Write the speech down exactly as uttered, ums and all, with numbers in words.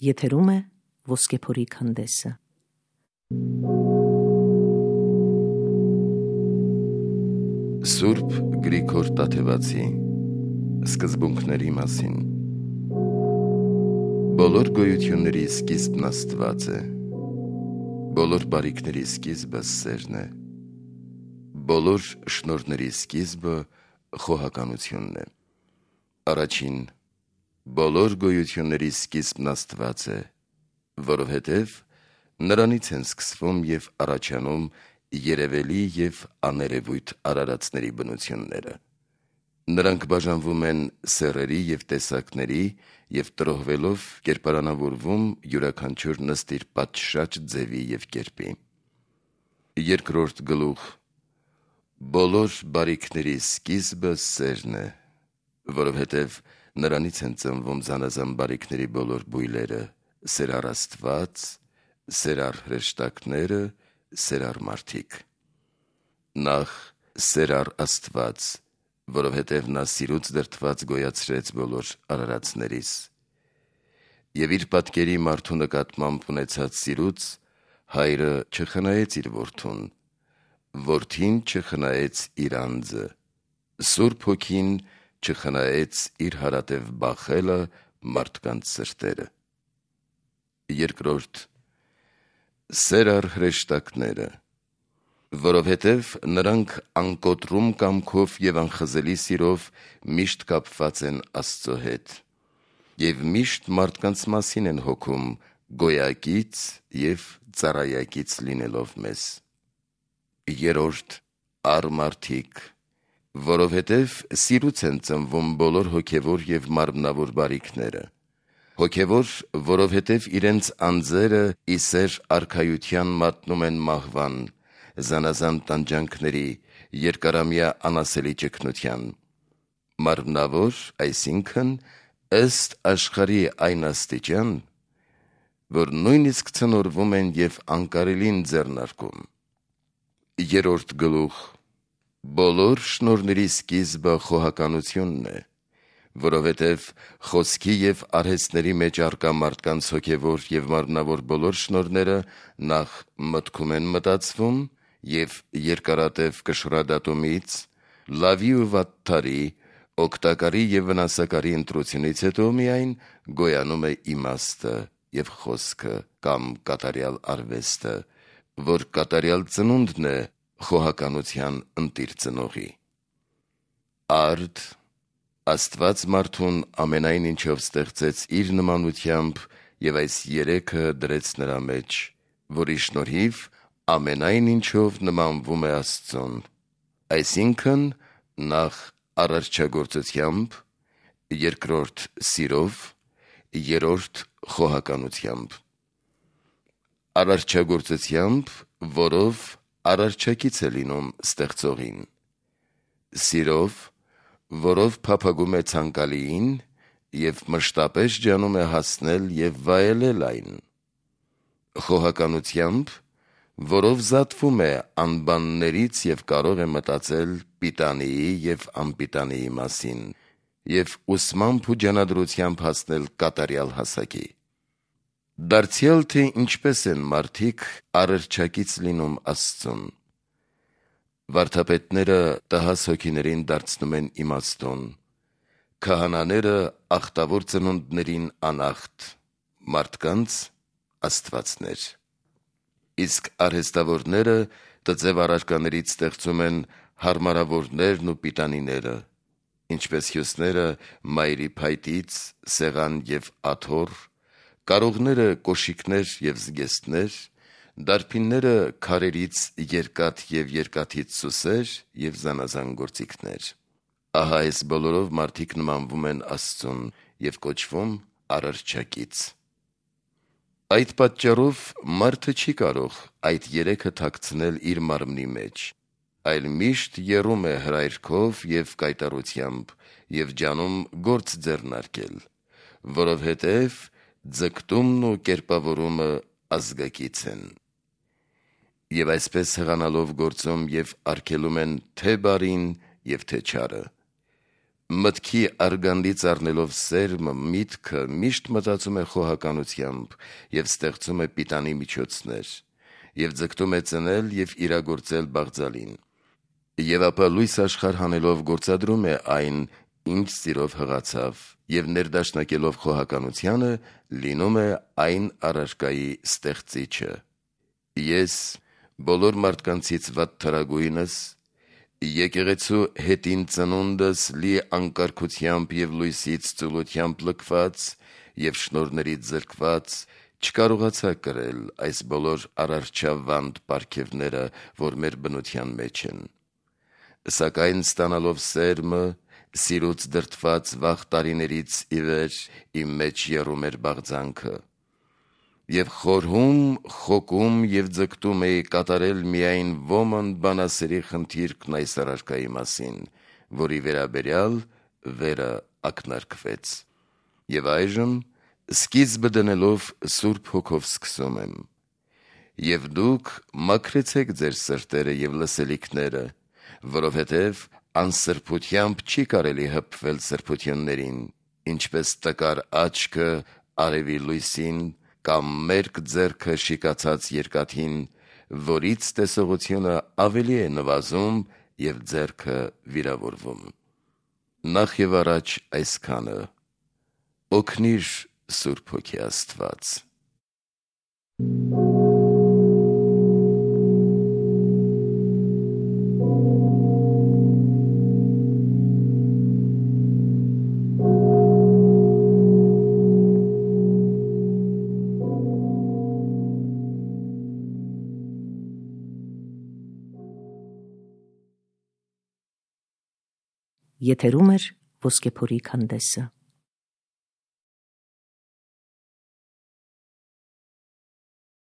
Եթերում է Ոսկեփորի քանդեսը։ Սուրբ Գրիգոր Տաթևացի սկզբունքների մասին։ Բոլոր գոյությունների սկիզբն Աստված է, բոլոր բարիքների սկիզբը սերն է, բոլոր շնորհների սկիզբը խոհականությունն է։ Առաջին, բոլոր գոյությունների սկիզբն Աստված է, որովհետև նրանից են սկսվում և առաջանում երևելի և աներևույթ արարածների բնությունները։ Նրանք բաժանվում են սեռերի և տեսակների և տրոհվելով կերպարանավորվում յուրաքանչյուր ըստ իր պատշաճ ձևի և կերպի։ Երկրորդ գլուխ. Բոլոր բարիքների սկիզբը սերն է, որովհետև նրանից են ծնվում զանազան բարիքների բոլոր բույլերը, սերառ Աստված, սերառ հրեշտակները, սերառ մարդիկ։ Նախ սերառ Աստված, որովհետև նա սիրուց դրդված գոյացրեց բոլոր արարածներիս։ Եվ իր պատկերի մարդու նկատմամբ ունեցած սիրուց հայրը չխնայեց իր որդուն, որդին չխնայեց իր անձը, Սուրբ Հոգին չխնայեց իր հարատև բախելը մարդկանց սրտերը։ Երկրորդ. սերառ հրեշտակները, որովհետև նրանք անկոտրում կամքով և անխզելի սիրով միշտ կապված են Աստծո հետ և միշտ մարդկանց մասին են հոգում գոյակից և ծառայակից լինելով մեզ։ Երրորդ. առ մարդիկ, որովհետև սիրուց են ծնվում բոլոր հոգևոր և մարմնավոր բարիքները։ Հոգևոր, որովհետև իրենց անձերը ի սեր արքայության մատնում են մահվան, զանազան տանջանքների, երկարամյա անասելի ճգնության։ Մարմնավոր, այսինքն ըստ աշխարհի այն աստիճան, որ նույնիսկ ցնորվում են և անկարելին ձեռնարկում։ Երրորդ գլուխ. Բոլոր շնորհների սկիզբը խոհականությունն է, որովհետև խոսքի և արհեստների մեջ առկա մարդկանց հոգևոր և մարմնավոր բոլոր շնորհները նախ մտքում են մտածվում և երկարատև կշռադատումից, լավի ու վատթարի, օգտակարի և վնասակարի ընտրությունից հետո միայն գոյանում է իմաստը և խոսքը կամ կատարյալ արվեստը, որ կատարյալ ծնունդն է խոհականության ընտիր ծնողի։ Արդ. Աստված մարդուն ամենայն ինչով ստեղծեց իր նմանությամբ և այս երեքը դրեց նրա մեջ, որի շնորհիվ ամենայն ինչով նմանվում է Աստծուն, այսինքն նախ արարչագործությամբ, երկրորդ սիրով, երրորդ խոհականությամբ։ Արարչագործությամբ, որով արարչակից է լինում ստեղծողին, սիրով, որով փափագում է ցանկալիին և մշտապես ջանում է հասնել և վայելել այն, խոհականությամբ, որով զատվում է անբաններից և կարող է մտածել պիտանիի և անպիտանիի մասին և ուսմամբ ու ջանադրությամբ հասնել կատարյալ հասակի։ Դարձյալ թե ինչպես են մարդիկ արարչակից լինում Աստծուն։ Վարդապետները տհաս հոգիներին դարձնում են իմաստուն, քահանաները ախտավոր ծնունդներին անախտ, մարդկանց աստվածներ։ Իսկ արհեստավորները տձև առարկաներից ստեղծում են հարմարավորներն ու պիտանիները, ինչպես հյուսները մայրի փայտից, սեղան և աթոռ, կարողները կոշիկներ և զգեստներ, դարբինները քարերից երկաթ և երկաթից սուսեր և զանազան գործիքներ։ Ահա այս բոլորով մարդիկ նմանվում են Աստծուն և կոչվում արարչակից։ Այդ պատճառով մարդը չի կարող այդ երեքը թաքցնել իր մարմնի մեջ, այլ միշտ եռում է հրայրքով և կայտառությամբ և ջանում գործ ձեռնարկել, որովհետև ձգտումն ու կերպավորումը ազգակից են։ Եվ այսպես հղանալով գործում և արգելում են թե՛ բարին և թե՛ չարը, Մտքի արգանդից առնելով սերմը, միտքը միշտ մտածում է խոհականությամբ և ստեղծում է պիտանի միջոցներ, և ձգտում է ծնել և իրագործել բաղձալին, և ապա լույս աշխարհ հանելով գործադրում է այն, ինչ սիրով հղացավ, և ներդաշնակելով խոհականությանը, լինում է այն առարկայի ստեղծիչը։ Ես բոլոր մարդկանցից վատթարագույնս, եկեղեցու հետին ծնունդս լի անկարգությամբ և լույսից ծուլությամբ լքված և շնորհներից զրկված, չկարողացա կրել այս բոլոր արարչավանդ պարգևները, որ մեր բնության մեջ են, սակայն ստանալով սերմը, սիրուց դրդված վաղ տարիներից ի վեր իմ մեջ եռում էր բաղձանքը, և խորհում, խոկում և ձգտում էի կատարել միայն ոմն բանասերի խնդիրքն այս առարկայի մասին, որի վերաբերյալ վերը ակնարկվեց։ Եվ այժմ սկիզբը դնելով Սուրբ Հոգով սկսում եմ. «Եվ դուք մաքրեցեք ձեր սրտերը և լսելիքները, որովհետև անսրբությամբ չի կարելի հպվել սրբություններին, ինչպես տկար աչքը արևի լույսին, կամ մերկ ձեռքը շիկացած երկաթին, որից տեսողությունը ավելի է նվազում և ձեռքը վիրավորվում»։ Նախ և առաջ այսքանը. օգնիր Սուրբ Հոգի Աստված։ Եթերում է Ոսկեփորի քանդեսը։